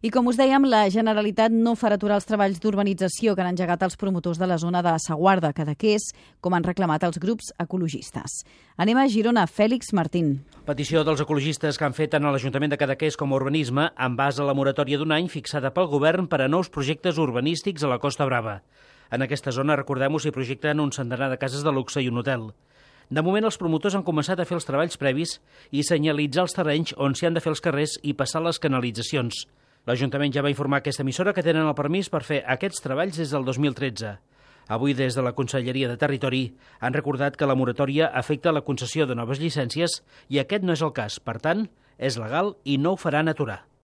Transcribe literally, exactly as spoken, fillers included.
I com us dèiem, la Generalitat no farà aturar els treballs d'urbanització que han engegat els promotors de la zona de Saguarda, Cadaqués, com han reclamat els grups ecologistes. Anem a Girona. Fèlix Martín. Petició dels ecologistes que han fet tant a l'Ajuntament de Cadaqués com a Urbanisme en base a la moratòria d'un any fixada pel govern per a nous projectes urbanístics a la Costa Brava. En aquesta zona, recordem-ho, s'hi projecten un centenar de cases de luxe i un hotel. De moment, els promotors han començat a fer els treballs previs i senyalitzar els terrenys on s'hi han de fer els carrers i passar les canalitzacions. L'Ajuntament ja va informar aquesta emissora que tenen el permís per fer aquests treballs des del dos mil tretze. Avui, des de la Conselleria de Territori, han recordat que la moratòria afecta la concessió de noves llicències i aquest no és el cas. Per tant, és legal i no ho faran aturar.